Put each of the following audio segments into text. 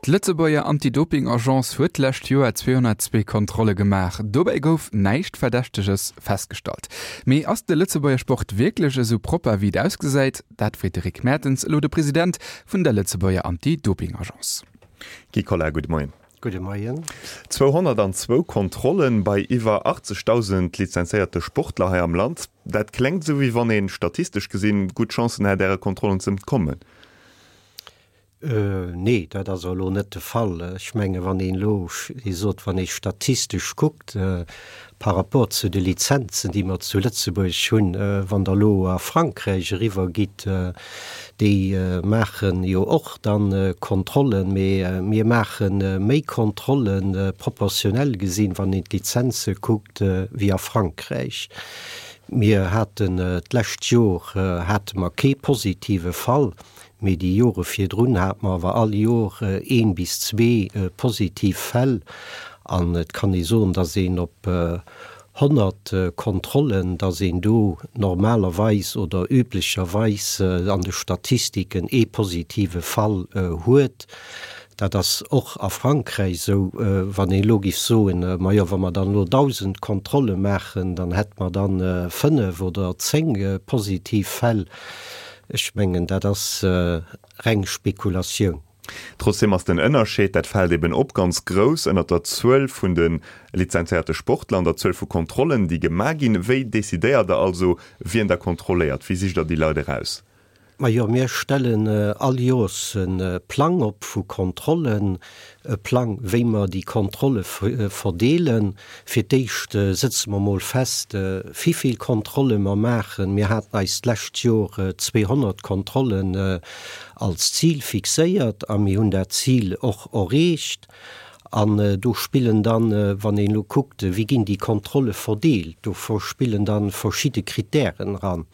D'Lëtzebuerger Anti-Doping-Agence huet d'lescht Joer 202 Kontrolle gemaach. Dobäi gouf näischt Verdächteges festgestallt. Mee ass de Lëtzebuerger Sport wierklech esou propper, wéi et ausgesäit? Dat freet de Rick Mertens elo de President vun der Lëtzebuerger Anti-Doping-Agence. Guy Collard, gudde Moien. Gudde Moien. 202 Kontrollen bei iwwer 80.000 lizenzéierte Sportler hei am Land. Dat klengt esou, wéi wann een, statistesch gesinn, gutt Chancen hätt, Äre Kontrollen ze entkommen. Nee, dat ass elo net de Fall. Ech menge wann een elo, Dir sot, wann ee statistesch kuckt par rapport zu de Lizenzen, déi mer zu Lëtzebuerg hunn, wann Der elo a Frankräich eriwwer gitt, déi maache jo och dann Kontrollen, mee mir maache méi Kontrollen, proportionell gesinn, wann een d'Lizenze kuckt, wéi a Frankräich. Mir haten d'lescht Jor hate mer kee positive Fall. Mee déi Jore virdrun hate mer awer all Jor een bis zwee positiv Fäll. An et kann ee soen, datt een op 100 Kontrollen, datt een do normalerweis oder üblecherweis an de Statistiken ee positive Fall huet. Dat ass och a Frankräich esou. Wann een elo géif soen, majo wa mer dann elo 1.000 Kontrolle maachen, dann hätte mer dann 5 oder 10 positiv Fäll. Ech mengen, dat ass reng Spekulatioun. Trotzdeem ass den Ënnerscheed, dat fält eben op, ganz grouss ënnert der Zuel vun de lizenzéierte Sportler an der Zuel vu Kontrollen, déi gemaach ginn. Wéi decidéiert Der also, wien Der kontrolléiert? Wéi sicht Der déi Leit eraus? Majo, mir stellen all Joers e Plang op vu Kontrollen, e Plang, wéi mer déi Kontrolle verdeelen. Fir d'éischt sëtze mer mol fest, wivill Kontrolle mer maachen. Mir haten eis d'lescht Jor 200 Kontrollen als Zil fixéiert a mir hunn dat Zil och erreecht. An do spillen dann, wann een elo kuckt, wéi ginn déi Kontrolle verdeelt, do spillen da verschidde Kritären eran.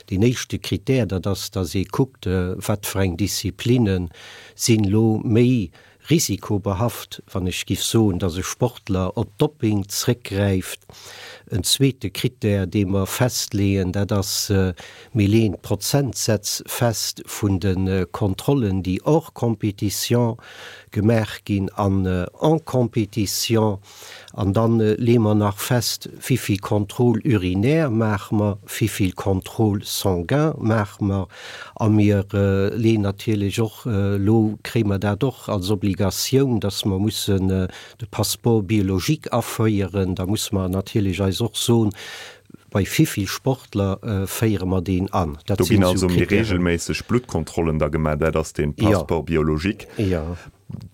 Deen éischte Kritär, dat ass, datt ee kuckt, wat fir eng Disziplinne sinn elo méi risikobehaft, wann ech giff soen, datt e Sportler op Dopping zréckgräift. En zweete Kritär, dee mer festleeën, dat ass, mir leeën d'Prozentsätz fest vun de Kontrollen, déi hors compétition gemaach ginn an en compétition. An dann leeë mer nach fest, wivill Contrôle urinaire maache mer, wivill Contrôle sanguin maache mer. A mir leeën natierlech och, elo kréie mer dat och als Obligatioun, dass mer mussen de Passeport biologique aféieren. Da musse mer natierlech eis och soen, bei wivill Sportler féiere mer deen an. Dat Do ginn sinn esou also méi Kritären. reegelméisseg Bluttkontrollen da gemaach, dat ass dee Passeport biologique. Jo.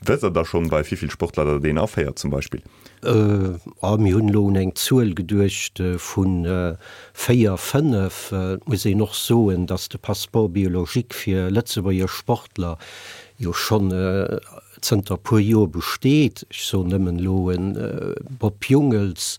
Wësst Der da schonn, bei wivill Sportler Der deen aféiert zum Beispill? A mir hunn elo un eng Zuel geduecht vu véier, fënnef. Et muss een och soen, datt de Passeport biologique fir Lëtzebuerger Sportler jo schonn zënter e puer Joer besteet. Ech soen nëmmen elo e Bob Jungels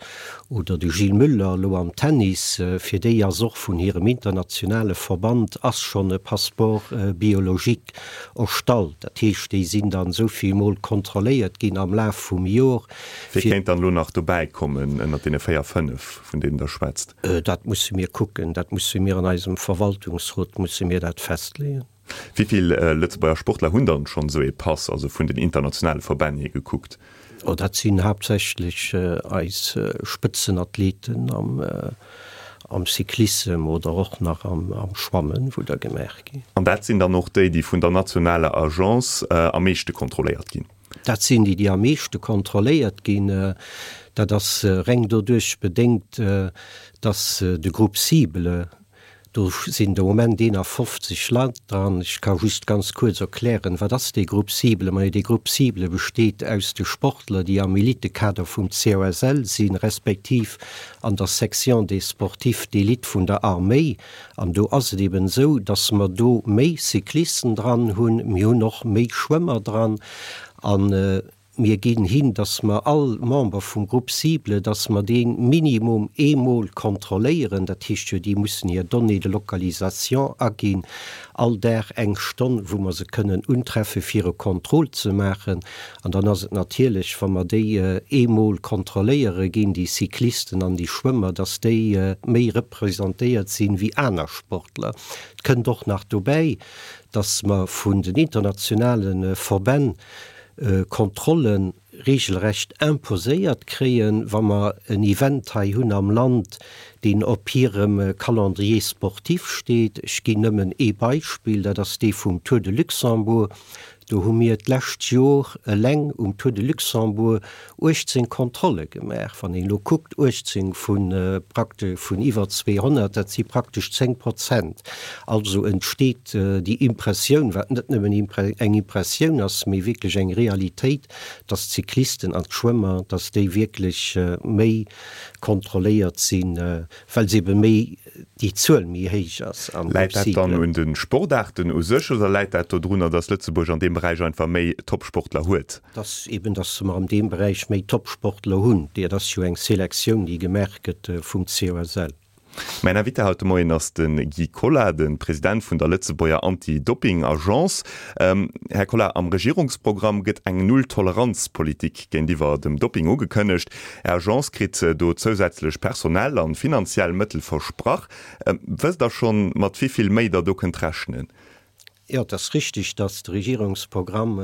oder de Gilles Muller elo am Tennis, fir déi ass och vun hirem internationale Verband ass schonn e Passeport biologique erstallt. Dat heescht, déi sinn dann esou vill Mol kontrolléiert ginn am Laf vum Jor. Wie kéint dann elo nach dobäi kommen ënnert deene 4, 5, vun deenen Der schwätzt? Dat musse mir kucken. Dat musse mir an eisem Verwaltungsrot musse mir dat festleeën. Wéi vill Lëtzebuerger Sportler hunn dann schonn esou ee Pass, also vun den internationale Verbänn hier gekuckt? Oh, dat sinn haaptsächlech eis Spëtzenathleten am am Cyclissem oder och nach am Schwammen, wou der gemaach ginn. An dat sinn dann och déi, déi vun der nationaler Agence am meeschte kontrolléiert ginn? Dat sinn déi, déi am meeschte kontrolléiert ginn. Dat ass reng doduerch bedéngt, dass de Groupe cible Do sinn de Moment 51 Leit dran. Ech ka just ganz kuerz erklären, wat ass dee Groupe cible? Majo, dee Groupe cible besteet aus de Sportler, déi am Elitekader vum COSL sinn, respektiv an der Section des sportifs d'élite vun der Arméi. An do ass et eben esou, dass mer do méi Cyclisten dran hunn, mir hunn och méi Schwëmmer dran an Mir ginn hin, dass mer all Member vum Groupe cible, dass mer dee minimum eemol kontrolléieren. Dat heescht jo, déi mussen hir Données de localisation aginn, all Dag eng Stonn, wou mer se kënnen untreffe fir e Contrôle ze maachen. An dann ass et natierlech, wa mer déi eemol kontrolléiere ginn, déi Cyclisten an déi Schwëmmer, dass déi méi representéiert sinn wéi aner Sportler. Et kënnt och nach dobäi, dass mer vun den internationale Verbänn. Kontrollen regelrecht imposéiert kréien, wa mer en Event hei hunn am Land, deen op hirem Calendrier sportif steet. Ech ginn nëmmen ee Beispill, dat ass dee vum Tour de Luxembourg. Do hu mir d'lescht Jor eleng um Tour de Luxembourg 18 Kontrolle gemaach. Wann een elo kuckt, 18 vu prakte vun iwwer 200, dat si praktesch 10 Prozent. Also entsteet déi Impressioun, wat net nëmmen eng Impressioun ass, mee wierklech eng Realitéit, dass d'Cyclisten an d'Schwëmmer, dass déi wierklech méi kontrolléiert sinn, well se ebe méi, déi Zuel méi héich ass am Läit dat dann un de Sportaarten u sech oder läit dat dodrunner, dass Lëtzebuerg an deem Beräich einfach méi Topsportler huet? Dass eben, dass mer an deem Beräich méi Topsportler hunn. Dat ass jo eng Selektioun, déi gemaach gëtt vum COSL. Mäin Invité haut de Moien ass de Guy Collard, de President vun der Lëtzebuerger Anti-Dopping-Agence. Här Collard, am Regierungsprogramm gëtt eng Null-Toleranz-Politik géintiwwer dem Dopping ugekënnegt. Är Agence kritt do zousätzlech personell an finanziell Mëttel versprach. Wësst der schonn, mat wéi vill méi der do kënnt rechnen? Jo, et ass richtig, dass de Regierungsprogramm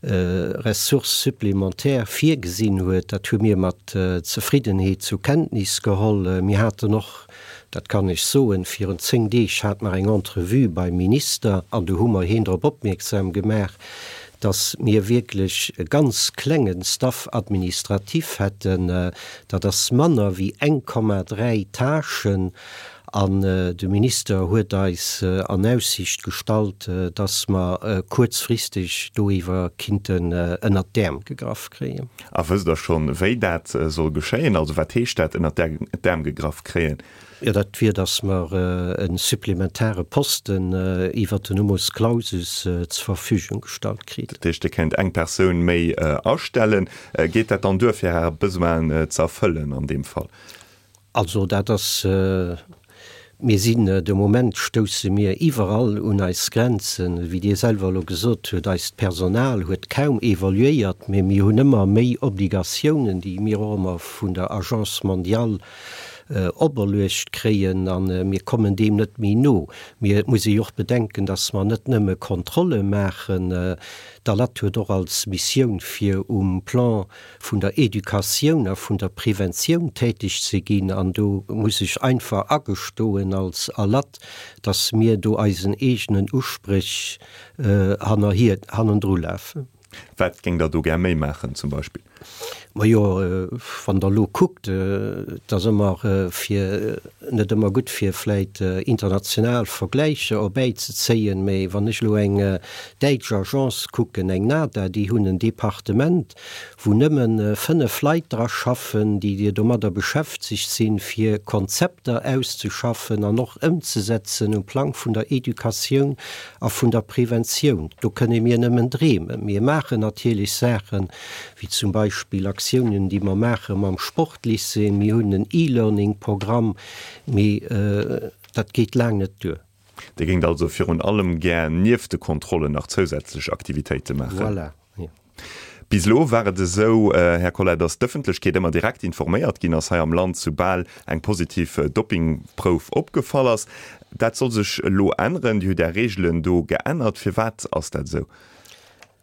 Ressources supplémentaires virgesinn huet. Dat hu mir mat Zefriddenheet zu Kenntnis geholl. Mir haten och, dat kann ech soen, virun 10 Deeg hate mer eng Entrevue beim Minister an do hu mer hien drop opmierksam gemaach, dass mir wierklech e ganz klengen Staff administratif hätten. Dat ass manner wéi 1,3 Tâchen. An de Minister huet eis an Aussicht gestallt, dass mer kuerzfristeg doriwwer kinnten ënnert d'Äerm gegraff kréien. A wësst Der schonn, wéi dat soll geschéien? Also wat heescht dat, ënnert d'Äerm gegraff kréien? Jo, dat wier, dass mer e supplementare Posten iwwert den Numerus clausus zur Verfügung gestallt kritt. Dat heescht, Dir kéint eng Persoun méi astellen. Geet dat dann duer, fir Är Besoinen ze erfëllen an deem Fall? Also dat ass, mir sinn de Moment stousse mir iwwerall un eis Grenzen. Wéi Dir selwer elo gesot hutt, eist Personal huet kaum evoluéiert, mee mir hunn ëmmer méi Obligatiounen, déi mir och ëmmer vun der Agence mondiale operluecht kréien a mir kommen deem net méi no. Mee et muss ee jo och bedenken, datt mer net nëmme Kontrolle maachen. D'ALAT huet och als Missioun fir um Plan vun der Educatioun a vun der Preventioun täteg ze ginn an do muss ech einfach agestoen als ALAT, dass mir do eisen eegenen Uspréch hannerhier, hannendru lafen. Wat géingt Der do gär méi maachen zum Beispill? Majo, wann Der elo kuckt, et ass ëmmer fir, net ëmmer gutt fir vläit international Vergläicher erbäizezéien, mä wann ech elo eng däitsch Agence kucken, eng NADA, déi hunn en Departement, wou nëmmen 5 Leit dra schaffen, déi domadder beschäftegt sinn, fir Konzepter auszeschaffen an och ëmzesetzen um Plang vun der Educatioun a vun der Preventioun. Do kënne mir nëmmen dreemen. Mir maachen natierlech Saachen, wéi zum Beispill Aktiounen, déi mer maache mam Sportlycée. Mir hunn en E-Learning-Programm, mee dat geet laang net duer. Dir géingt also virun allem gär nieft de Kontrollen nach zousätzlech Aktivitéite maachen? Voilà, jo. Bis elo war et esou, Här Collart, datt d'Ëffentlechkeet ëmmer direkt informéiert ginn ass hei am Land, soubal eng positiv Doppingprouf opgefall ass. Dat soll sech elo änneren. Dir hutt Är Reegelen do geännert. Firwat ass dat esou?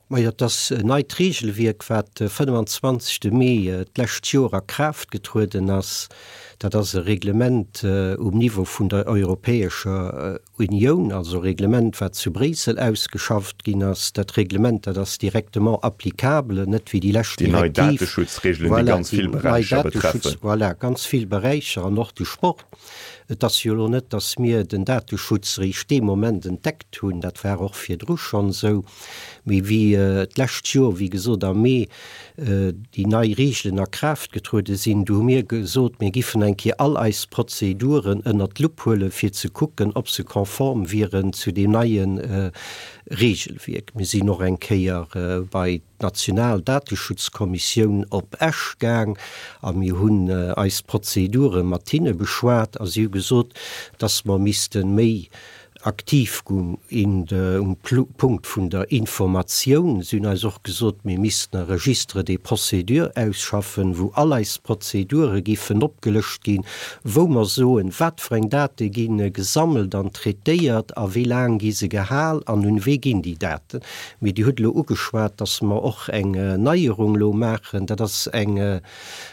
Majo, et ass en neit Reegelwierk, wat de 25. Mee d'lescht Joer a Kraaft getrueden ass. Dat ass e Reglement um Niveau vun der Europäescher Unioun, also e Reglement, wat zu Bréissel ausgeschafft ginn ass. Dat Reglement, dat ass directement applicable, net wéi déi lescht Direktiv. Déi nei Dateschutzregeln, déi ganz vill Beräicher betreffen. Voilà, ganz vill Beräicher an och de Sport. Et ass jo elo net, dass mir den Dateschutz eréischt dee Moment entdeckt hunn, dat war och virdru schonn esou. Mee wéi d'lescht Joer, wéi gesot am Mee, déi nei Regeln a Kraaft getruede sinn, du hu mir gesot, mir giffen eng Kéier all eis Prozeduren ënnert d'Lupp huelen, fir ze kucken, ob se konform wieren zu deem neie Regelwierk. Mir sinn och eng Kéier bei d'national Dateschutzkommissioun op Esch gaang a mir hunn eis Prozedure mat hinne beschwat a si hu gesot, dass mer misste méi. Aktiv gung um Punkt vun der Informatioun. Si hunn eis och gesot, mir missten e Registre des procédures ausschaffen, wou all eis Prozedure giffen opgelëscht ginn, wou mer soen, wat fir eng Date gi gesammelt an traitéiert a wéi laang gi se gehal an un wee ginn déi Daten. Mee Dir hutt elo ugeschwat, dass mer och eng Neierung elo maachen. Dat ass eng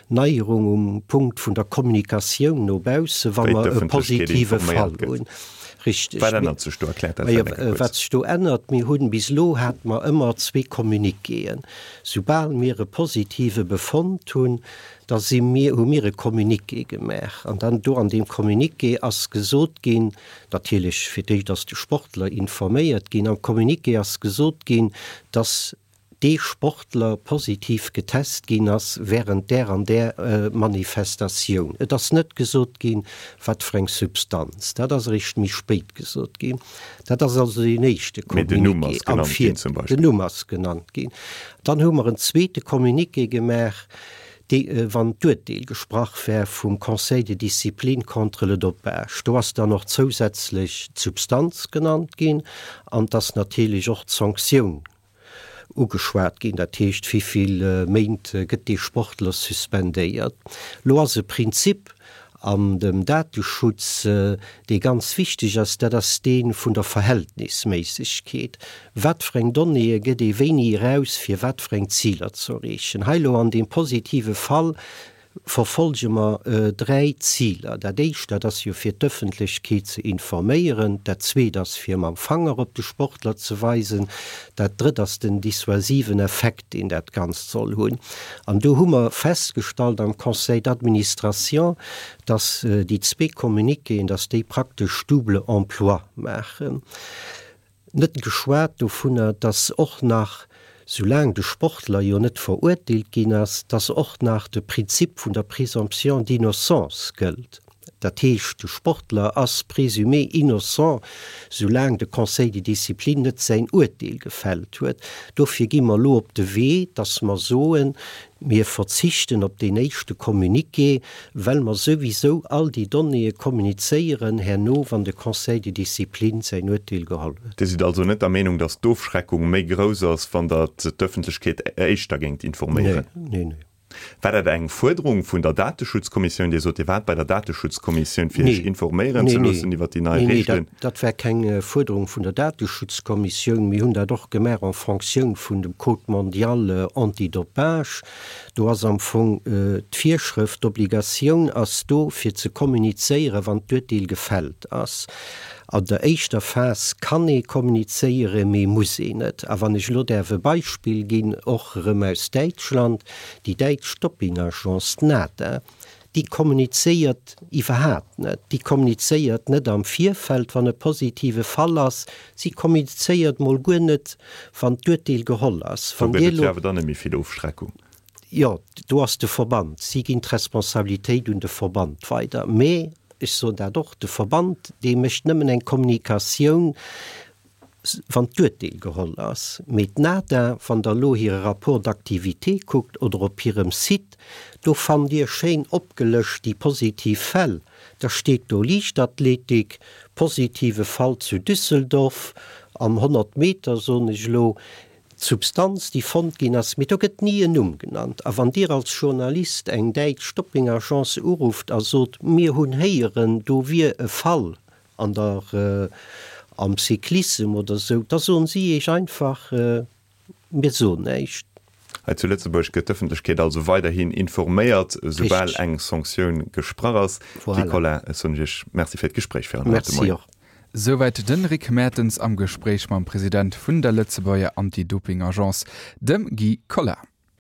Neierung um Punkt vun der Kommunikatioun no bausse, wa mer e positive Fall hunn. Richteg. Wat ännert sech do? Erkläert dat vläicht eng Kéier kuerz. Wat sech do ännert, Mir hunn, bis elo hate mer ëmmer zwee Communiquéen. Soubal mir e positive Befond hunn, da si mir, hu mir e Communiqué gemaach. An dann do an deem Communiqué ass gesot ginn, natierlech fir d'éischt ass de Sportler informéiert ginn, am Communiqué ass gesot ginn, dass dee Sportler positiv getest ginn ass während där an där Manifestatioun. Et ass net gesot ginn, wat fir eng Substanz. Dat ass eréischt méi spéit gesot ginn. Dat ass also deen éischte Communiqué am Vir. Den Numm ass genannt ginn. Dann hu mer en zweete Communiqué gemaach, dee wann d'Uerteel gesprach war vum Conseil de discipline contre le dopage. Do ass dann och zousätzlech d'Substanz genannt ginn an et ass natierlech och d'Sanktioun ugeschwat ginn, dat heescht wéi vill Méint gëtt dee Sportler suspendéiert. Lo ass e Prinzip an dem Dateschutz, dee ganz wichteg ass, dat ass dee vun der Verhältnisméissegkeet. Wat fir eng Donnéeë gëtt ee wéini eraus, fir wat fir eng Ziler ze erreechen? Hei elo an deem positive Fall verfolge mer dräi Ziler. Dat éischt, dat ass jo fir d'Ëffentlechkeet ze informéieren. Dat zweet ass fir mam Fanger op de Sportler ze weisen. Dat drëtt ass den dissuasiven Effekt, deen dat Ganzt soll hunn. An do hu mer festgestallt am Conseil d'administration, dass déi zwee Communiquéen, dass déi praktesch double emploi maachen. Net geschwat dovunner, dass och nach, soulaang de Sportler jo net verurteelt ginn ass, dass och nach de Prinzip vun der Présomption d'innocence gëllt. Dat heescht, de Sportler ass présumé innocent, soulaang de Conseil de discipline net säin Urteel gefällt huet. Dofir gi mer elo op de Wee, dass mer soen, Mir verzichten op deen éischte Communiqué, well mer souwisou all déi Donnéeë kommunizéieren herno, wann de Conseil de discipline säin Urteel geholl huet. Dir sidd also net der Meenung, datt d'Ofschreckung méi grouss ass, wann Der d'Ëffentlechkeet éischter géingt informéieren? Nee, nee, nee. War dat eng Fuerderung vun der Dateschutzkommissioun? Dir sot, Dir waart bei der Dateschutzkommissioun, fir Iech informéieren ze loossen iwwer déi nei Reegelen. Nee, dat war keng Fuerderung vun der Dateschutzkommissioun. Mir hunn dat och gemaach en Fonctioun vun dem Code mondial antidopage. Do ass am Fong d'Virschrëft, d'Obligatioun ass do, fir ze kommunizéieren, wann d'Urteel gefällt ass. An der éischter Phas kann ee kommunizéieren, mee muss een net. A wann ech elo däerf e Beispill ginn, och erëm aus Däitschland, Déi däitsch Doppingagence, d'NADA, déi kommunizéiert iwwerhaapt net. Déi kommunizéiert net am Virfeld, wann e positive Fall ass. Si kommunizéiert mol guer net, wann d'Urteel geholl ass. Do gëtt et jo awer dann net méi vill Ofschreckung. Jo, do ass de Verband. Si ginn d'Responsabilitéit un de Verband weider. Mee ech soen dat och, de Verband, dee mécht nëmmen eng Kommunikatioun, wann d'Urteel geholl ass. Mee d'NADA, wann Der elo hire Rapport d'activité kuckt oder op hirem Site, do fannt Dir schéin opgelëscht déi positiv Fäll. Da steet do Liichtathletik, positive Fall zu Düsseldorf am 100 Meter, soen ech elo, d'Substanz, déi fonnt ginn ass. Mee do gëtt ni en Numm genannt. A wann Dir als Journalist eng däitsch Doppingagence urufft a sot, mir hunn héieren, do wier e Fall An der am Cyclissem oder sou, da soen si iech einfach, mir soen näischt. Hei zu Lëtzebuerg gëtt d'Ëffentlechkeet also weiderhin informéiert, soubal eng Sanktioun gesprach ass. Guy Collin, ech soen Iech Merci fir d'Gespréich fir an haut de Moien. Merci och. Souwäit de Rick Mertens am Gespréich mam President vun der Lëtzebuerger Anti-Doping-Agence, dem Guy Collin.